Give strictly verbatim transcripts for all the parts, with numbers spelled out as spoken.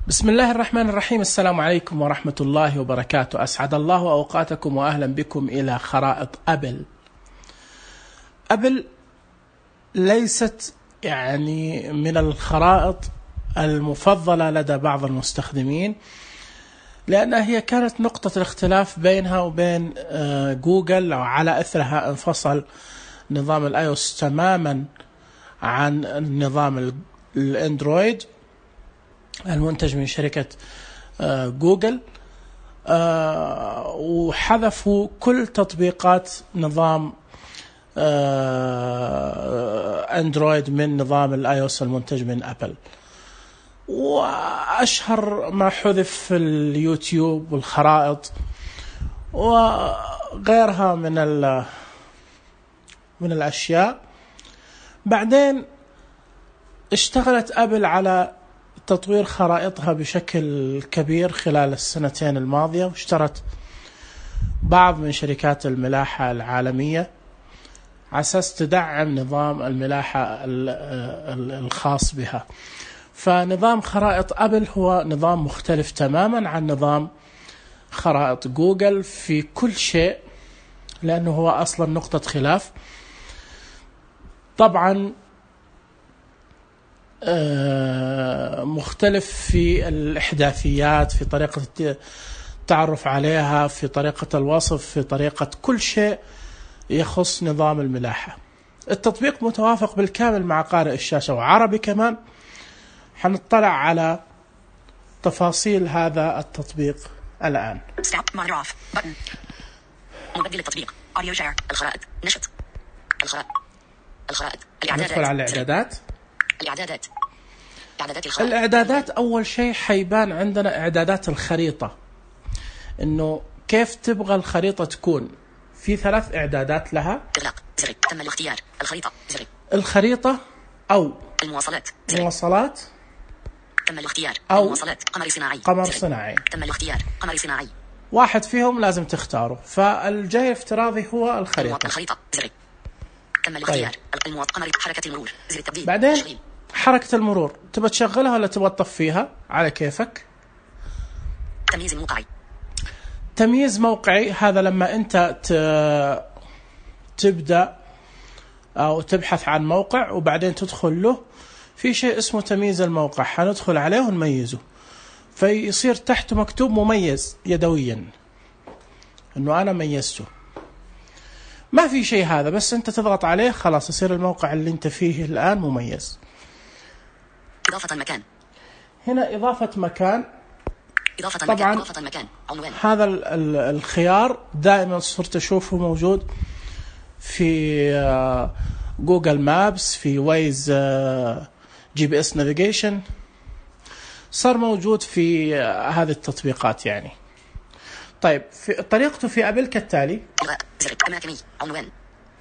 بسم الله الرحمن الرحيم. السلام عليكم ورحمة الله وبركاته. أسعد الله أوقاتكم وأهلا بكم إلى خرائط أبل. أبل ليست يعني من الخرائط المفضلة لدى بعض المستخدمين، لأنها هي كانت نقطة الاختلاف بينها وبين جوجل، وعلى أثرها انفصل نظام الآيوس تماما عن النظام الأندرويد المنتج من شركة جوجل، وحذفوا كل تطبيقات نظام أندرويد من نظام الآيوس المنتج من أبل. وأشهر ما حذف في اليوتيوب والخرائط وغيرها من من الأشياء. بعدين اشتغلت أبل على تطوير خرائطها بشكل كبير خلال السنتين الماضية، واشترت بعض من شركات الملاحة العالمية على أساس تدعم نظام الملاحة الخاص بها. فنظام خرائط أبل هو نظام مختلف تماما عن نظام خرائط جوجل في كل شيء، لأنه هو أصلا نقطة خلاف. طبعا مختلف في الإحداثيات، في طريقة التعرف عليها، في طريقة الوصف، في طريقة كل شيء يخص نظام الملاحة. التطبيق متوافق بالكامل مع قارئ الشاشة وعربي كمان. حنطلع على تفاصيل هذا التطبيق الآن. مبدل التطبيق أوديو شير، الخرائط، نشط، الخرائط، الخرائط، ندخل على الإعدادات. الإعدادات، إعدادات الخرائط. الإعدادات أول شيء حيبان عندنا إعدادات الخريطة، إنه كيف تبغى الخريطة تكون. في ثلاث إعدادات لها. إغلاق زر، تم الاختيار، الخريطة زر، الخريطة أو المواصلات زر. المواصلات تم الاختيار، أو المواصلات، قمر صناعي قمر زر. صناعي. تم الاختيار، قمر صناعي. واحد فيهم لازم تختاره، فالجاي الافتراضي هو الخريطة. الخريطة زر. تم الاختيار، المواط قمر حركة المرور زر التبديل. بعدين تشغيل. حركة المرور تبغى تشغلها ولا تبغى تطفيها على كيفك. تمييز موقعي. تمييز موقعي هذا لما أنت تبدأ أو تبحث عن موقع وبعدين تدخل له، في شيء اسمه تمييز الموقع، حندخل عليه ونميزه، فيصير تحته مكتوب مميز يدويا إنه أنا ميزته. ما في شيء هذا، بس أنت تضغط عليه خلاص يصير الموقع اللي أنت فيه الآن مميز. إضافة مكان. هنا إضافة مكان. إضافة طبعا مكان. إضافة مكان. عنوان. هذا ال ال الخيار دائما صرت أشوفه موجود في جوجل مابس، في ويز جي بي اس نافيجيشن، صار موجود في هذه التطبيقات يعني. طيب في طريقته في أبل كالتالي. زر أماكني عنوان.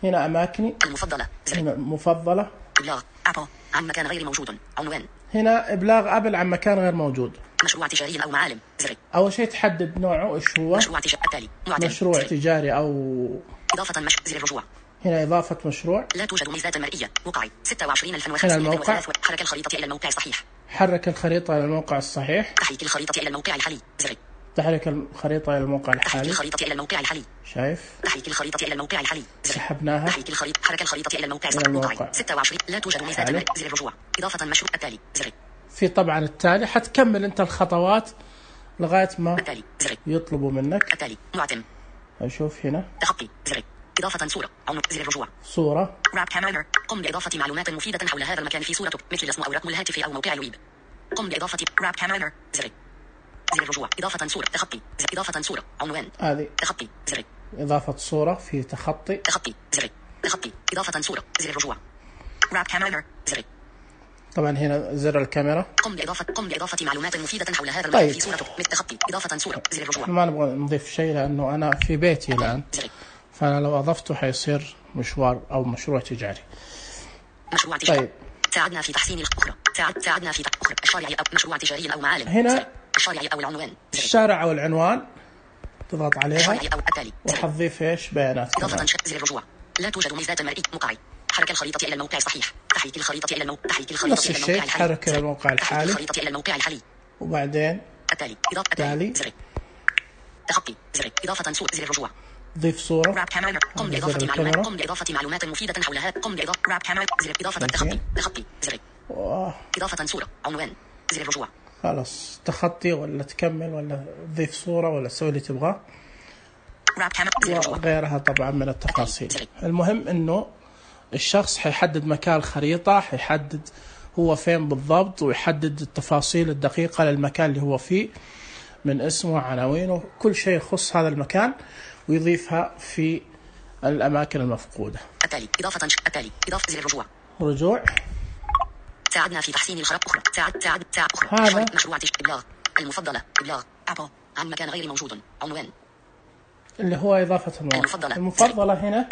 هنا أماكني المفضلة زر. هنا مفضلة. إبلاغ أبل عن مكان غير موجود عنوان. هنا إبلاغ أبل عن مكان غير موجود. مشروع تجاري أو معالم زر. أول شيء تحدد نوعه إيش هو. مشروع تجاري التالي معتم. مشروع زر. تجاري أو إضافة مش زر الرجوع. هنا إضافة مشروع. لا توجد ميزات مرئية. موقعي ستة وعشرين ألف هنا وخمسمائة الموقع. وثلاثة. حرك الخريطة إلى الموقع الصحيح. حرك الخريطة إلى الموقع الصحيح. تحريك الخريطة إلى الموقع الحالي زر. تحرك الخريطة إلى الموقع تحريك الحالي. الخريطة إلى الموقع الحالي. شايف. تحريك الخريطة إلى الموقع الحالي زر. سحبناها. تحريك الخريطة حرك الخريطة إلى الموقع إلى الصحيح. الموقع. موقعي ستة وعشرين. لا توجد ميزات مرئية زر الرجوع. إضافة مشروع التالي زر. في طبعا التالي حتكمل أنت الخطوات لغاية ما التالي زر. يطلبوا منك. التالي معتم. أشوف هنا تخطي زر. إضافة صورة عنق زر الرجوع. صورة. راب كاميرا. قم بإضافة معلومات مفيدة حول هذا المكان في صورتك مثل اسم أو رقم الهاتف أو موقع الويب. قم بإضافة راب كاميرا زر. زر الرجوع. إضافة صورة تخطي زر. إضافة صورة عنوان. هذه تخطي زر. إضافة صورة في تخطي. تخطي زر. تخطي إضافة صورة زر الرجوع. راب كاميرا زر. طبعا هنا زر الكاميرا. قم بإضافة قم بإضافة معلومات مفيدة حول هذا طيب. المكان في صورتك مثل تخطي إضافة صورة زر الرجوع. ما نبغى نضيف شيء لأنه أنا في بيتي الآن، زر. فأنا لو أضفته حيصير مشوار أو مشروع تجاري. مشروع تجاري. طيب ساعدنا في تحسين الأخرى. ساعد ساعدنا في أخرى الشارع أو مشروع تجاري أو معالم. هنا زر. الشارع أو العنوان زر. الشارع أو العنوان تضغط عليها الشارع أو التالي زر. وحتضيف إيش بيانات إضافة كمان. زر الرجوع. لا توجد ميزات مرئية موقعي. حرك الخريطة إلى الموقع الصحيح. تحريك الخريطة إلى الموقع. تحريك الخريطة نفس إلى الشيء الموقع الحالي. حرك إلى الموقع تحريك الحالي. الخريطة إلى الموقع الحالي. وبعدين التالي إضافة تالي زر تخطي زر إضافة صورة زر الرجوع ضيف صورة راب كاميرا قم بإضافة معلومات قم بإضافة معلومات مفيدة حول هذا قم بإضافة راب كاميرا زر إضافة تخطي تخطي زر إضافة صورة عنوان زر الرجوع. خلاص تخطي ولا تكمل ولا تضيف صورة ولا تسوي اللي تبغاه وغيرها طبعا من التفاصيل. المهم انه الشخص حيحدد مكان الخريطة، حيحدد هو فين بالضبط، ويحدد التفاصيل الدقيقة للمكان اللي هو فيه من اسمه عناوينه كل شيء يخص هذا المكان، ويضيفها في الأماكن المفقودة. التالي إضافة التالي إضافة زر الرجوع رجوع ساعدنا في تحسين الخرائط أخرى ساعد ساعد ساعد أخرى هذا مشروع إبلاغ المفضلة إبلاغ أبل عن مكان غير موجود عنوان اللي هو إضافة الموقع المفضلة المفضلة هنا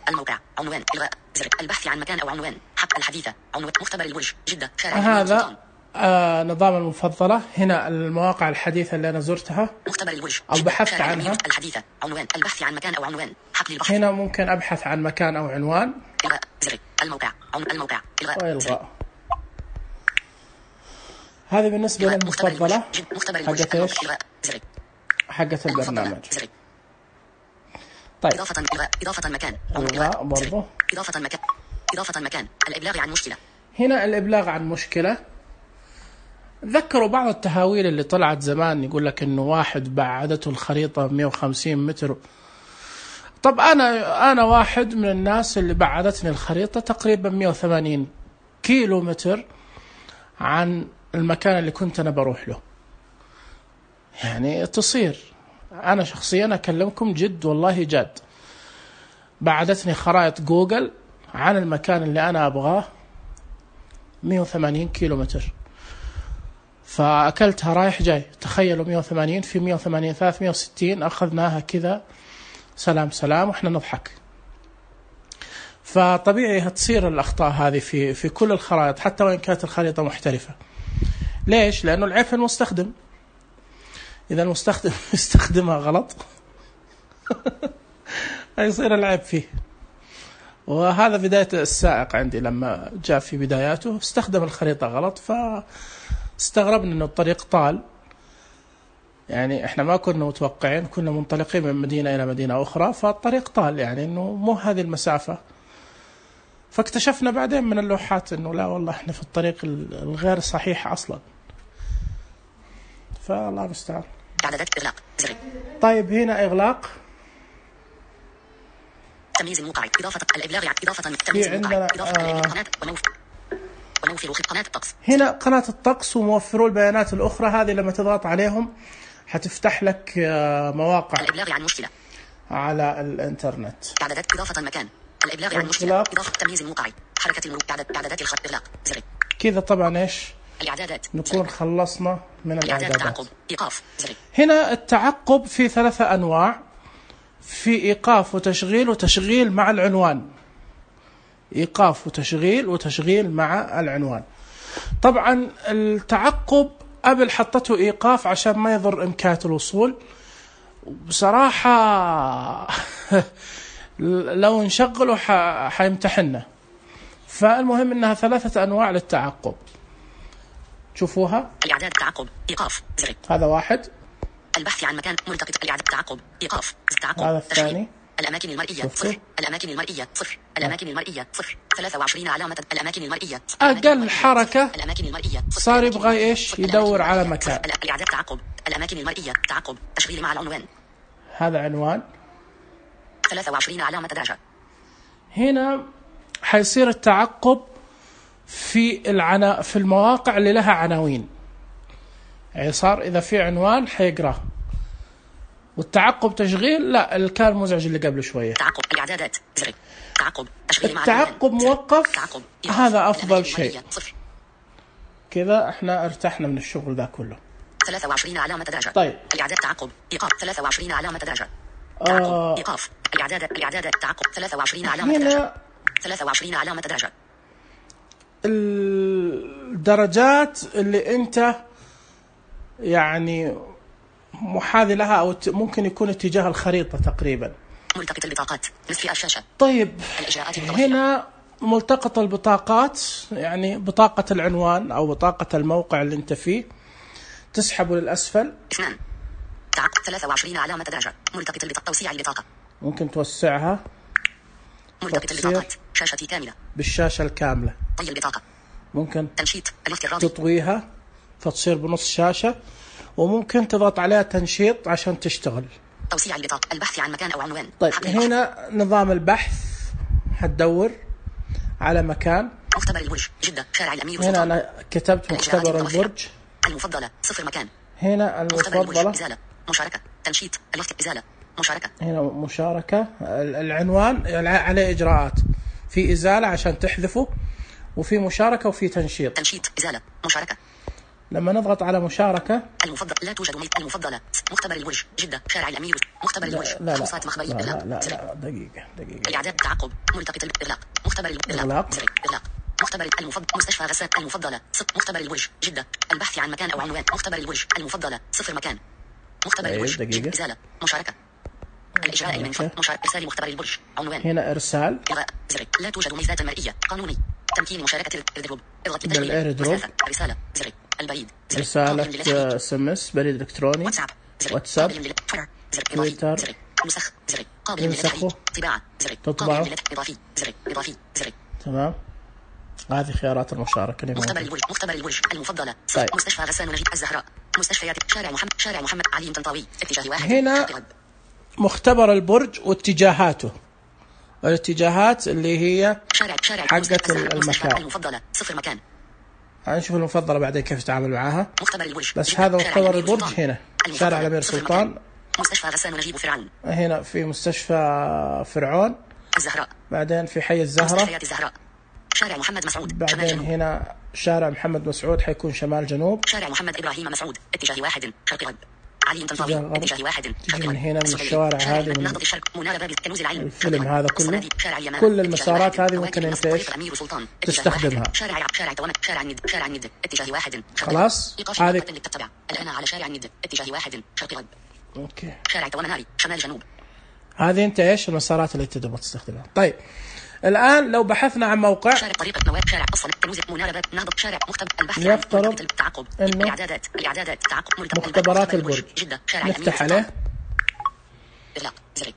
الموقع عنوان إلغاء زر البحث عن مكان أو عنوان حق الحديثة عنوان مختبر البرج جدة هذا آه نظام المفضلة. هنا المواقع الحديثة اللي أنا زرتها مختبر البرج أو بحثت عنها الحديثة عنوان البحث عن مكان أو عنوان حق للبحث. هنا ممكن أبحث عن مكان أو عنوان إلغاء زر الموقع الموقع إلغاء وإلغاء. هذه بالنسبة للمفضلة حقت إيش حقت البرنامج. طيب إضافة إضافة مكان إلغاء برضو إضافة مكان إضافة مكان الإبلاغ عن مشكلة. هنا الإبلاغ عن مشكلة. ذكروا بعض التهاويل اللي طلعت زمان يقول لك إنه واحد بعدته الخريطة مئة وخمسين متر. طب أنا أنا واحد من الناس اللي بعدتني الخريطة تقريبا مئة وثمانين كيلو متر عن المكان اللي كنت أنا بروح له. يعني تصير أنا شخصيا أكلمكم جد والله جاد بعدتني خرائط جوجل عن المكان اللي أنا أبغاه مئة وثمانين كيلو متر، فأكلتها رايح جاي. تخيلوا مئة وثمانين في مئة وثمانين ثلاثمئة وستين أخذناها كذا سلام سلام وإحنا نضحك. فطبيعي هتصير الأخطاء هذه في في كل الخرائط حتى وإن كانت الخريطة محترفة. ليش؟ لأنه العيب في المستخدم. إذا المستخدم يستخدمها غلط هيصير العيب فيه. وهذا بداية السائق عندي لما جاء في بداياته استخدم الخريطة غلط، فاستغربنا أنه الطريق طال. يعني إحنا ما كنا متوقعين، كنا منطلقين من مدينة إلى مدينة أخرى فالطريق طال، يعني أنه مو هذه المسافة. فاكتشفنا بعدين من اللوحات أنه لا والله إحنا في الطريق الغير صحيح أصلا. فالله المستعان. إعدادات إغلاق زر. طيب هنا إغلاق تمييز الموقع إضافة الإبلاغ إضافة تمييز الموقع إضافة القناة وموفر وموفر قناة الطقس. هنا قناة الطقس وموفرو البيانات الأخرى، هذه لما تضغط عليهم حتفتح لك مواقع الإبلاغ عن مشكلة على الإنترنت. إعدادات إضافة مكان الإبلاغ عن مشكلة إضافة تمييز الموقع حركة المرور إعدادات الخط إغلاق زر. كذا طبعا إيش الإعدادات نكون خلصنا من الإعدادات. تعقب إيقاف زر. هنا التعقب في ثلاثة أنواع، في إيقاف وتشغيل وتشغيل مع العنوان. إيقاف وتشغيل وتشغيل مع العنوان. طبعا التعقب قبل حطته إيقاف عشان ما يضر إمكانية الوصول. بصراحة لو نشغله حيمتحننا. فالمهم إنها ثلاثة أنواع للتعقب. شوفوها. الإعداد تعقب إيقاف زر. هذا واحد. البحث عن مكان ملتقط الإعداد تعقب إيقاف تعقب. هذا الثاني. الأماكن المرئية صفر. الأماكن المرئية صفر. الأماكن المرئية صفر. ثلاثة وعشرين علامة الأماكن المرئية. أقل حركة الأماكن المرئية صار يبغى إيش يدور على مكان. الإعداد تعقب الأماكن المرئية تعقب تشغيل مع العنوان. هذا عنوان. ثلاثة وعشرين علامة درجة. هنا حيصير التعقب في العنا في المواقع اللي لها عناوين. يعني صار إذا في عنوان حيقرأ. والتعقب تشغيل لا اللي كان مزعج اللي قبل شوية. تعقب الإعدادات زر. تعقب تشغيل مع التعقب موقف. تعقب. هذا أفضل شيء. كذا احنا ارتحنا من الشغل ذا كله. ثلاثة وعشرين علامة درجة. طيب. الإعداد تعقب إيقاف ثلاثة وعشرين علامة درجة. آه. إيقاف الإعداد الإعداد تعقب ثلاثة وعشرين علامة درجة. ثلاثة وعشرين علامة درجة. الدرجات اللي أنت يعني محاذي لها أو ممكن يكون اتجاه الخريطة تقريبا. ملتقط البطاقات نصف الشاشة. طيب هنا ملتقط البطاقات يعني بطاقة العنوان أو بطاقة الموقع اللي أنت فيه تسحبه للأسفل. اثنان. تعقب ثلاثة وعشرين علامة درجة. ملتقط البطاقة. توسيع البطاقة. ممكن توسعها. ملتقط البطاقات. شاشتي كاملة. بالشاشة الكاملة. طي البطاقة. ممكن تنشيط الافتراضي. تطويها فتصير بنص شاشة، وممكن تضغط عليها تنشيط عشان تشتغل. توسيع البطاقة. البحث عن مكان أو عنوان. طيب هنا نظام البحث، حتدور على مكان. مختبر البرج جدة شارع الأمير هنا أنا كتبت مختبر البرج. المفضلة صفر مكان. هنا المفضلة إزالة. مشاركة تنشيط الوقت إزالة مشاركة. هنا مشاركة. العنوان عليه إجراءات، في إزالة عشان تحذفه، وفي مشاركة وفي تنشيط. تنشيط إزالة مشاركة. لما نضغط على مشاركة المفضل لا توجد ميت. المفضلة مختبر البرج جدة شارع الأمير. مختبر البرج خمسات مخبرية. لا لا, لا, لا دقيقة دقيقة. الإعداد تعقب ملتقط الإغلاق. مختبر الإغلاق. إغلاق. مختبر المفضل مستشفى غسان. المفضلة صفر. مختبر البرج جدة البحث عن مكان أو عنوان. مختبر البرج المفضلة صفر مكان. مختبر البرج إزالة مشاركة. الإجراء المنفذ. مشاركة. إرسال مختبر البرج عنوان. هنا إرسال. إلغاء زر. لا توجد ميزات مرئية. قانوني. تمكين مشاركة الإيردروب. اضغط بالإيردروب. رسالة زر. البريد. رسالة اس ام اس بريد إلكتروني. واتساب. واتساب. تويتر. زر. نسخ. زر. قابل للنسخ. طباعة. زر. تطبعه. إضافي. زر. إضافي. زر. تمام. هذه خيارات المشاركة. مختبر البرج. مختبر البرج المفضلة. طيب. مستشفى غسان ونجيب الزهراء. مستشفيات شارع محمد. شارع محمد علي طنطاوي. اتجاه واحد. هنا مختبر البرج واتجاهاته. الاتجاهات اللي هي شارع شارع حقة المكان. المفضلة صفر مكان. هنشوف المفضلة بعدين كيف تتعامل معاها. مختبر البرج. بس هذا مختبر البرج هنا. شارع الأمير سلطان. مستشفى غسان ونجيب فرعون. هنا في مستشفى فرعون. الزهراء. بعدين في حي الزهراء. مستشفيات الزهراء. شارع محمد مسعود. بعدين هنا شارع محمد مسعود حيكون شمال جنوب. شارع محمد إبراهيم مسعود. اتجاه واحد شرق غرب. علي طنطاوي. اتجاه واحد تجي من هنا من الشوارع هذه من نهضة الشرق. منار باب كنوز العلم. الفيلم هذا كله. كل المسارات هذه ممكن انت ايش تستخدمها. شارع شارع توامت. شارع الند. شارع الند. اتجاه واحد. خلاص هذه الآن على شارع الند. اتجاه واحد شرق غرب. اوكي. شارع توامناري شمال جنوب. هذه انت ايش المسارات اللي تقدر تستخدمها. طيب الآن لو بحثنا عن موقع. شارع طريق نواب. شارع أصل كنوز. منار باب نهضة. شارع مختبر البحث. نفترض التعقب. إنه الإعدادات. الإعدادات تعقب. مختبرات البرج. جدة. شارع نفتح عليه. إغلاق زر.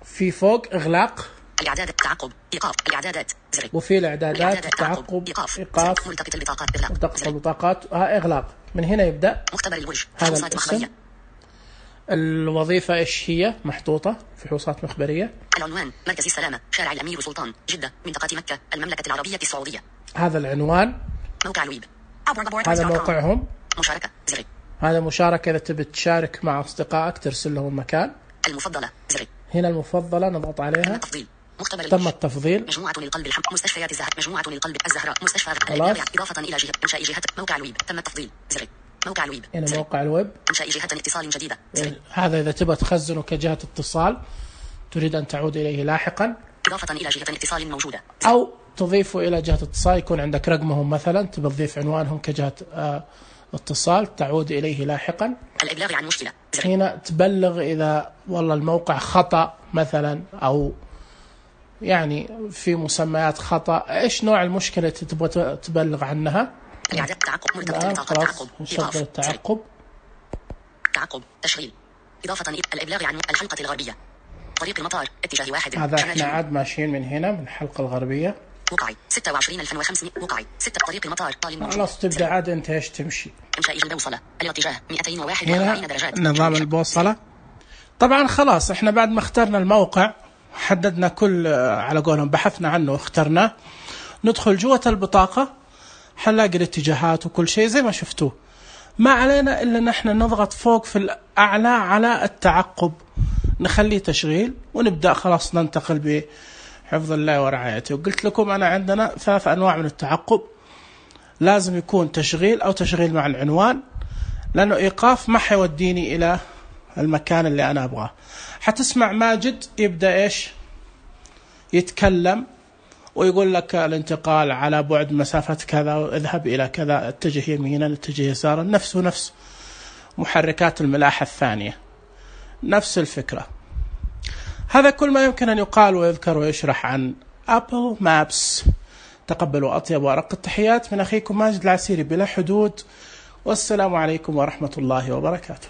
في فوق إغلاق. الإعدادات تعقب. إيقاف. الإعدادات زر. وفي الإعدادات تعقب. إيقاف. إيقاف. ملتقط البطاقات. إغلاق. ملتقط البطاقات. ها إغلاق. من هنا يبدأ. مختبر البرج. هذا فحوصات مخبرية. الوظيفة إيش هي؟ محطوطة فحوصات مخبرية. العنوان مركز السلامة شارع الأمير سلطان جدة منطقة مكة المملكة العربية السعودية. هذا العنوان. موقع الويب. هذا موقعهم. مشاركة زر. هذا مشاركة إذا تبي تشارك مع أصدقائك ترسل لهم مكان. المفضلة زر. هنا المفضلة نضغط عليها. تم التفضيل. مختبر تم التفضيل. مجموعة للقلب الحمد. مستشفيات الزهراء. مجموعة للقلب الزهراء. مستشفى خلاص. إضافة إلى جهة إنشاء جهة. موقع الويب. تم التفضيل زر. موقع الويب. هنا موقع الويب. إنشاء جهة اتصال جديدة. هذا إذا تبغى تخزنه كجهة اتصال تريد أن تعود إليه لاحقا. إضافة إلى جهة اتصال موجودة. أو تضيفه إلى جهة اتصال يكون عندك رقمهم مثلا تبغى تضيف عنوانهم كجهة آه اتصال تعود إليه لاحقا. الإبلاغ عن مشكلة زر. هنا تبلغ إذا والله الموقع خطأ مثلا أو يعني في مسميات خطأ. إيش نوع المشكلة تبغى تبلغ عنها. إعادة تعقب. ملتقط البطاقة. تعقب. نشغل التعقب. تعقب. تشغيل. إضافة إلى الإبلاغ عن الحلقة الغربية. طريق المطار. اتجاه واحد. هذا احنا عاد ماشيين من هنا من الحلقة الغربية. وقعي ستة وعشرين ألف وخمسمائة. وقعي ستة. طريق المطار. طالب. خلاص تبدأ عاد انت ايش تمشي. إنشاء البوصلة. الاتجاه مئتين وواحد وأربعين درجات. نظام البوصلة. طبعا خلاص احنا بعد ما اخترنا الموقع حددنا كل على قولهم بحثنا عنه واخترناه. ندخل جوة البطاقة حنلاقي الاتجاهات وكل شيء زي ما شفتوه. ما علينا إلا نحن نضغط فوق في الأعلى على التعقب نخليه تشغيل ونبدأ خلاص ننتقل بحفظ الله ورعايته. وقلت لكم أنا عندنا ثلاث أنواع من التعقب. لازم يكون تشغيل أو تشغيل مع العنوان لأنه إيقاف ما حيوديني إلى المكان اللي أنا أبغاه. حتسمع ماجد يبدأ إيش يتكلم ويقول لك الانتقال على بعد مسافة كذا اذهب إلى كذا اتجه يمينا اتجه يسارا. نفسه نفس محركات الملاحة الثانية نفس الفكرة. هذا كل ما يمكن أن يقال ويذكر ويشرح عن أبل مابس. تقبلوا أطيب وأرق التحيات من أخيكم ماجد العسيري بلا حدود والسلام عليكم ورحمة الله وبركاته.